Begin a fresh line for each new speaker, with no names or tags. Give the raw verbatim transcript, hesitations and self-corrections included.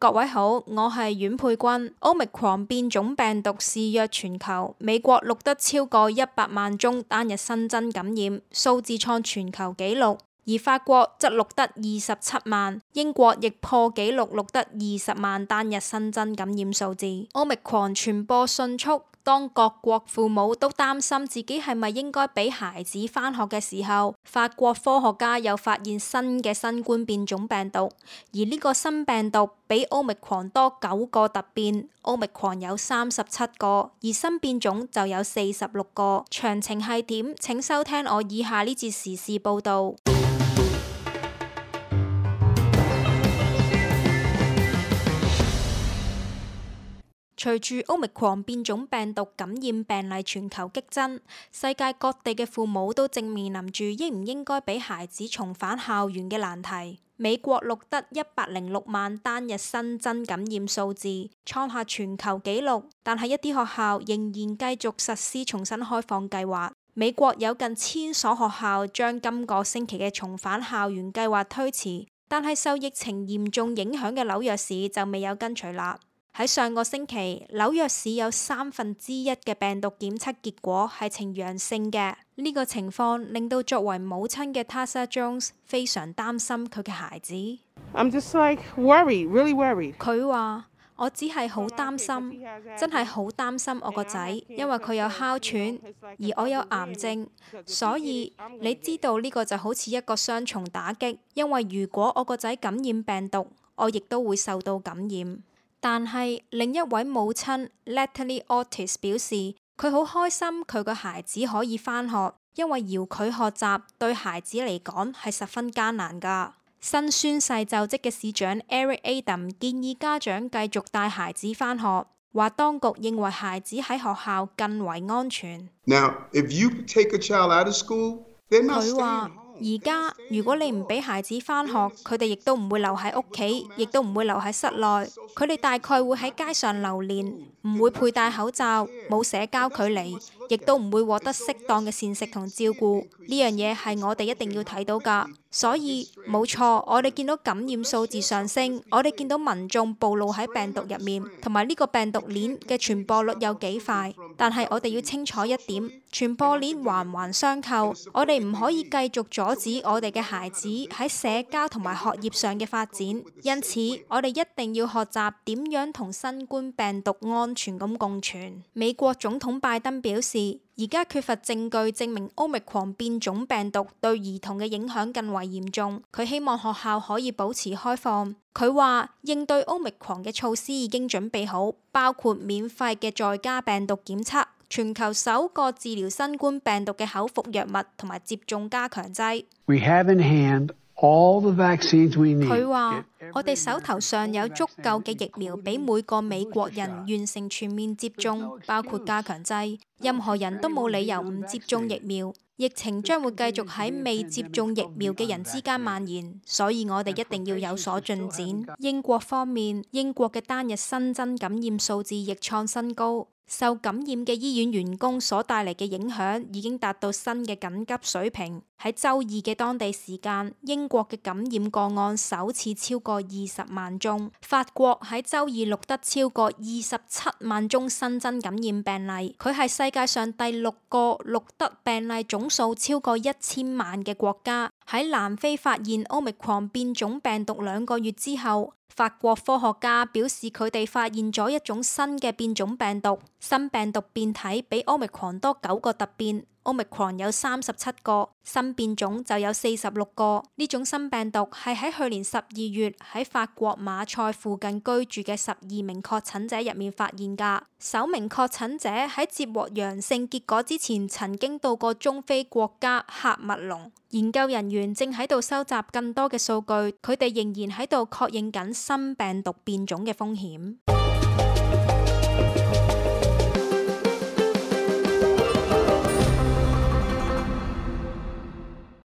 各位好，我係阮佩君。Omicron 變種病毒肆虐全球，美國錄得超過一百萬宗單日新增感染，數字創全球紀錄。而法國則錄得二十七萬，英國亦破紀錄錄得二十萬單日新增感染數字。Omicron 傳播迅速，當各國父母都擔心自己係咪應該俾孩子返學嘅時候，法國科學家又發現新嘅新冠變種病毒，而呢個新病毒比 Omicron 多九個突變 ，Omicron 有三十七個，而新變種就有四十六個。詳情係點？請收聽我以下呢節時事報導。隨住 Omicron 變種病毒感染病例全球激增，世界各地嘅父母都正面臨住應唔應該俾孩子重返校園嘅難題。美國錄得一百零六萬單日新增感染數字，創下全球紀錄，但係一啲學校仍然繼續實施重新開放計劃。美國有近千所學校將今個星期嘅重返校園計劃推遲，但係受疫情嚴重影響嘅紐約市就未有跟隨啦。喺上個星期，紐約市有三分之一嘅病毒檢測結果係呈陽性嘅。呢個情況令到作為母親嘅 Tasha Jones 非常擔心佢嘅孩子。
I'm just like worried, really worried.
佢話：我只係好擔心，真係好擔心我個仔，因為佢有哮喘，而我有癌症，所以你知道呢個就好似一個雙重打擊。因為如果我個仔感染病毒，我亦都會受到感染。但係另一位母親 Natalie Otis 表示，佢好開心佢個孩子可以返學，因為遙距學習對孩子嚟講係十分艱難㗎。新宣誓就職嘅市長 Eric Adams 建議家長繼續帶孩子返學，話當局認為孩子喺學校更為安全。
Now, if you take a child out of school, they're not staying home.
而家如果你唔俾孩子返學，佢哋亦都唔會留喺屋企，亦都唔會留喺室內。佢哋大概會喺街上流連，唔會佩戴口罩，冇社交距離，亦都唔會獲得適當嘅膳食同照顧。呢樣嘢係我哋一定要睇到㗎。所以冇錯，我哋見到感染數字上升，我哋見到民眾暴露喺病毒入面，同埋呢個病毒鏈嘅傳播率有幾快。但係我哋要清楚一點，傳播鏈環環相扣，我哋唔可以繼續阻止我哋嘅孩子喺社交同埋學業上嘅發展。因此，我哋一定要學習點樣同新冠病毒安全咁共存。美國總統拜登表示，而家缺乏證據證明 Omicron 變種病毒對兒童嘅影響更為嚴重。佢希望學校可以保持開放。佢話應對 Omicron 嘅措施已經準備好，包括免費嘅在家病毒檢測、全球首個治療新冠病毒嘅口服藥物同埋接種加強劑。
We have in hand all the vaccines we need.
佢話：我哋手頭上有足夠嘅疫苗俾每個美國人完成全面接種，包括加強劑。任何人都冇理由唔接種疫苗。疫情將會繼續喺未接種疫苗嘅人之間蔓延，所以我哋一定要有所進展。英國方面，英國嘅單日新增感染數字亦創新高。受感染嘅醫院員工所帶嚟嘅影響已經達到新嘅緊急水平。喺週二嘅當地時間，英國嘅感染個案首次超過二十萬宗。法國喺週二錄得超過二十七萬宗新增感染病例，佢係世界上第六個錄得病例總數超過一千萬嘅國家。喺南非發現 Omicron 變種病毒兩個月之後，法國科學家表示佢哋發現咗一種新嘅變種病毒，新病毒變體比 Omicron 多九個突變。Omicron 有三十七個，新變種就有四十六個。呢種新病毒係喺去年十二月喺法國馬賽附近居住嘅十二名確診者入面發現㗎。首名確診者喺接獲陽性結果之前，曾經到過中非國家喀麥隆。研究人員正喺度收集更多嘅數據，佢哋仍然喺度確認緊新病毒變種嘅風險。